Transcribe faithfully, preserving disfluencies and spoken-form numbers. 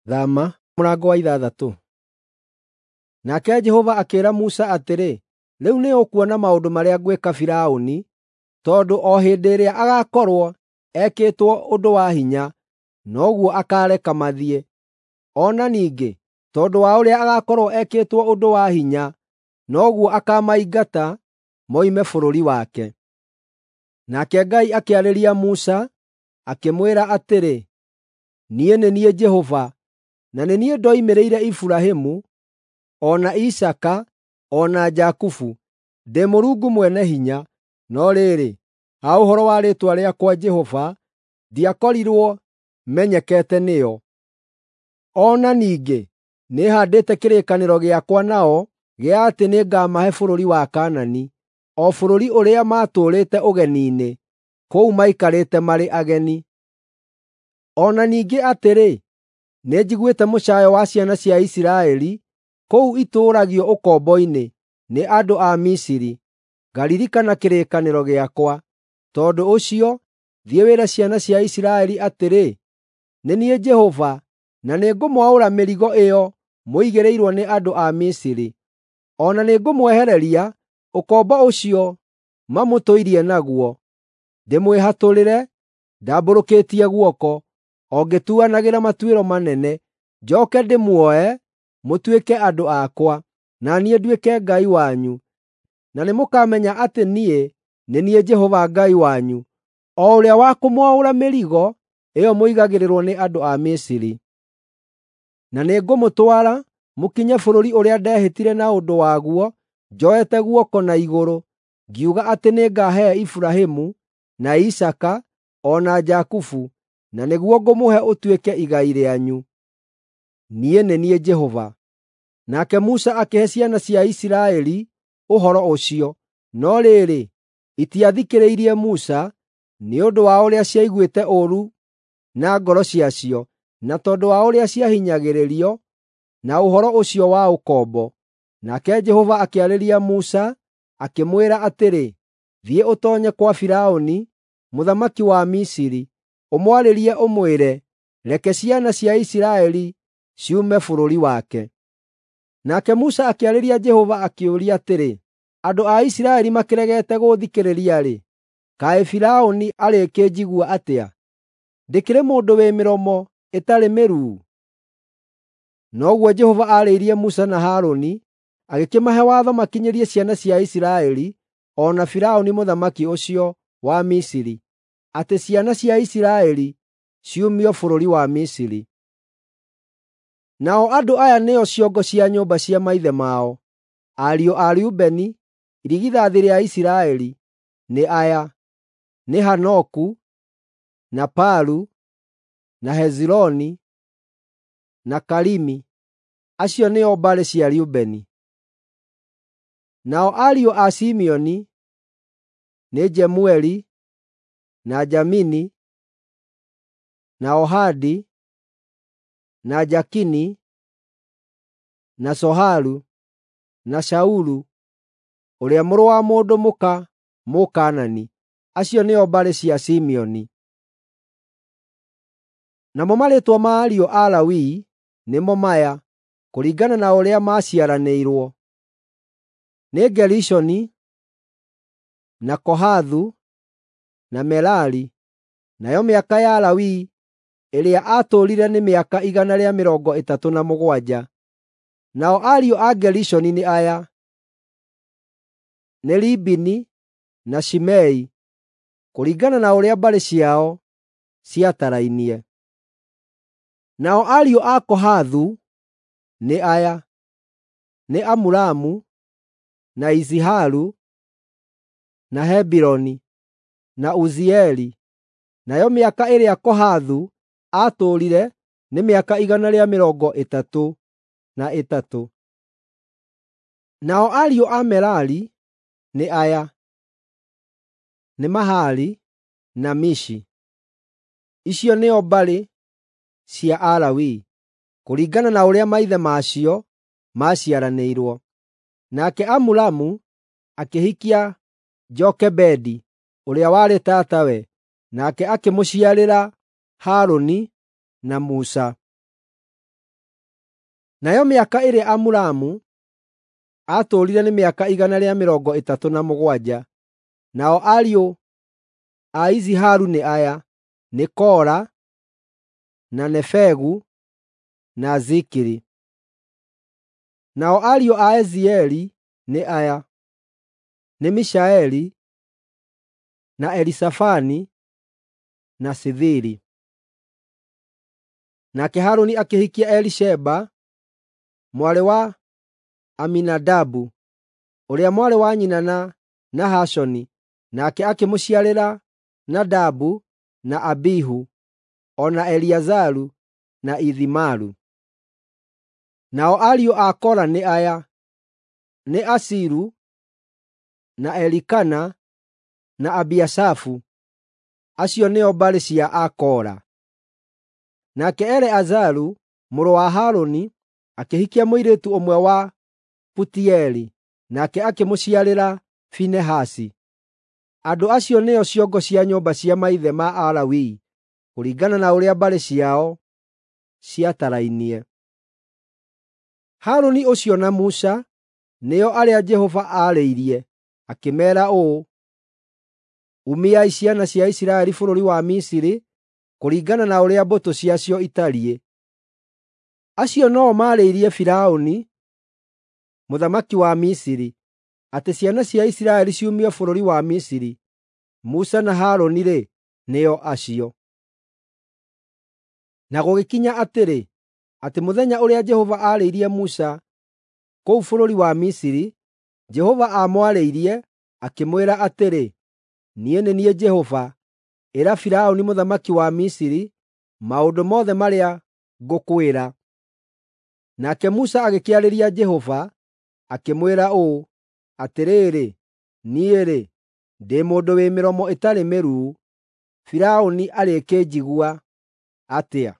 Thama mũrango wa ithathatũ. Nake Jehova akĩĩra Musa atĩrĩ, “Rĩu nĩũkuona maũndũ marĩa ngwĩka Firaũni, tondũ o hĩndĩ ĩrĩa agaakorwo ekĩtwo ũndũ wa hinya, noguo akaareka mathiĩ. O na ningĩ tondũ wa ũrĩa agaakorwo ekĩtwo ũndũ wa hinya, noguo akaamaingata moime bũrũri wake.” Nake Ngai akĩarĩria Musa, akĩmwĩra atĩrĩ, “Niĩ nĩ niĩ Jehova, na nĩ niĩ ndoimĩrĩire Iburahĩmu, o na Isaaka, o na Jakubu, ndĩ Mũrungu Mwene-Hinya, no rĩrĩ, ha ũhoro wa rĩĩtwa rĩakwa Jehova, ndiakorirwo menyekete nĩo. O na ningĩ nĩhaandĩte kĩrĩkanĩro gĩakwa nao gĩa atĩ nĩngamahe bũrũri wa Kaanani, o bũrũri ũrĩa maatũũrĩte ũgeni-inĩ, kũu maikarĩte marĩ ageni. O na ningĩ atĩrĩ, nĩnjiguĩte mũcaayo wa ciana cia Isiraeli kũu itũũragio ũkombo-inĩ nĩ andũ a Misiri, ngaririkana kĩrĩkanĩro gĩakwa. Tondũ ũcio, thiĩ wĩre ciana cia Isiraeli atĩrĩ, ‘Nĩ niĩ Jehova, na nĩngũmwaũra mĩrigo ĩyo mũigĩrĩirwo nĩ andũ a Misiri. O na nĩngũmwehereria ũkombo ũcio mamũtũirie naguo, ndĩmwĩhatũrĩre ndambũrũkĩtie guoko, o ngĩtuanagĩra matuĩro manene, njooke ndĩmuoe mũtuĩke andũ akwa, na niĩ nduĩke Ngai wanyu. Na nĩmũkamenya atĩ niĩ nĩ niĩ Jehova Ngai wanyu, o ũrĩa wa kũmwaũra mĩrigo ĩyo mũigagĩrĩrwo nĩ andũ a Misiri. Na nĩngũmũtwara mũkinye bũrũri ũrĩa ndehĩtire na ũndũ waguo njoete guoko na igũrũ, ngiuga atĩ nĩngahe Iburahĩmu, na Isaaka, o na Jakubu, na nĩguo ngũmũhe ũtuĩke igai rĩanyu. Niĩ nĩ niĩ Jehova.” Nake Musa akĩhe ciana cia Isiraeli ũhoro ũcio, no rĩrĩ, itiathikĩrĩirie Musa nĩ ũndũ wa ũrĩa ciaiguĩte ũũru na ngoro ciacio, na tondũ wa ũrĩa ciahinyagĩrĩrio na ũhoro ũcio wa ũkombo. Nake Jehova akĩarĩria Musa, akĩmwĩra atĩrĩ, “Thiĩ ũtoonye kwa Firaũni, mũthamaki wa Misiri, ũmwarĩrie ũmwĩre, ‘Reke ciana cia Isiraeli ciume bũrũri wake.’ ” Nake Musa akĩarĩria Jehova akĩũria atĩrĩ, “Andũ a Isiraeli makĩregete gũũthikĩrĩria-rĩ, kaĩ Firaũni arĩkĩnjigua atĩa? Ndĩkĩrĩ mũndũ wĩ mĩromo ĩtarĩ mĩruu?” Noguo Jehova aarĩirie Musa na Harũni, agĩkĩmahe watho makinyĩrie ciana cia Isiraeli o na Firaũni mũthamaki ũcio wa Misiri, atĩ ciana cia Isiraeli ciumio bũrũri wa Misiri. Nao andũ aya nĩo ciongo cia nyũmba cia maithe mao: Ariũ a Rubeni, irigithathi rĩa Isiraeli, nĩ aya: nĩ Hanoku, na Palu, na Hezironi, na Karimi. Acio nĩo mbarĩ cia Rubeni. Nao ariũ a Simeoni nĩ Jemueli, na Jamini, na Ohadi, na Jakini, na Soharu, na Shaulu, ũrĩa mũrũ wa mũndũ mũka Mũkaanani. Acio nĩo mbarĩ cia Simeoni. Namo marĩĩtwa ma ariũ a Lawi nĩmo maya, kũringana na ũrĩa maaciaranĩirwo: nĩ Gerishoni, na Kohathu, na Merari. Nayo mĩaka ya Lawi ĩrĩa aatũũrire nĩ mĩaka igana rĩa mĩrongo ĩtatũ na mũgwanja. Nao ariũ a Gerishoni nĩ aya: nĩ Libini na Shimei, kũringana na ũrĩa mbarĩ ciao ciatarainie. Nao ariũ a Kohathu nĩ aya: nĩ Amuramu, na Iziharu, na Hebironi, na Uzieli. Nayo mĩaka ĩrĩa Kohathu aatũũrire nĩ mĩaka igana rĩa mĩrongo ĩtatũ na ĩtatũ. Nao ariũ a Merari nĩ aya: nĩ Mahali na Mishi. Icio nĩo mbarĩ cia Alawii, kũringana na ũrĩa maithe macio maaciaranĩirwo. Nake Amuramu akĩhikia Jokebedi, ũrĩa warĩ tatawe, nake akĩmũciarĩra Harũni na Musa. Nayo mĩaka ĩrĩa Amuramu aatũũrire nĩ mĩaka igana rĩa mĩrongo ĩtatũ na mũgwanja. Nao ariũ a Iziharu nĩ aya: nĩ Kora, na Nefegu, na Zikiri. Nao ariũ a Ezieli nĩ aya: nĩ Mishaeli, na Elisafani, na Sithiri. Nake Harũni akĩhikia Elisheba, mwarĩ wa Aminadabu, ũrĩa mwarĩ wa nyina na Nahashoni, nake akĩmũciarĩra Nadabu na Abihu, o na Eleazaru na Ithimaru. Nao ariũ a Kora nĩ aya: nĩ Asiru, na Elikana, na Abiasafu. Acio nĩo mbarĩ cia Akora. Nake Eleazaru mũrũ wa Harũni akĩhikia mũirĩtu ũmwe wa Putieli, nake akĩmũciarĩra Finehasi. Andũ acio nĩo ciongo cia nyũmba cia maithe ma Alawii, kũringana na ũrĩa mbarĩ ciao ciatarainie. Harũni ũcio na Musa nĩo arĩa Jehova aarĩirie, akĩmeera ũũ, “Umiai ciana cia Isiraeli bũrũri wa Misiri kũringana na ũrĩa mbũtũ ciacio itariĩ.” Acio no-o maarĩirie Firaũni, mũthamaki wa Misiri, atĩ ciana cia Isiraeli ciumio bũrũri wa Misiri. Musa na Harũni-rĩ, nĩo acio. Na gũgĩkinya atĩrĩ, atĩ mũthenya ũrĩa Jehova aarĩirie Musa kũu bũrũri wa Misiri, Jehova aamwarĩirie, akĩmwĩra atĩrĩ, “Niĩ nĩ niĩ Jehova, ĩra Firaũni mũthamaki wa Misiri maũndũ mothe marĩa ngũkwĩra.” Nake Musa agĩkĩarĩria Jehova, akĩmwĩra ũũ, “Atĩrĩrĩ, niĩ-rĩ, ndĩ mũndũ wĩ mĩromo ĩtarĩ mĩruu, Firaũni arĩkĩnjigua atĩa?”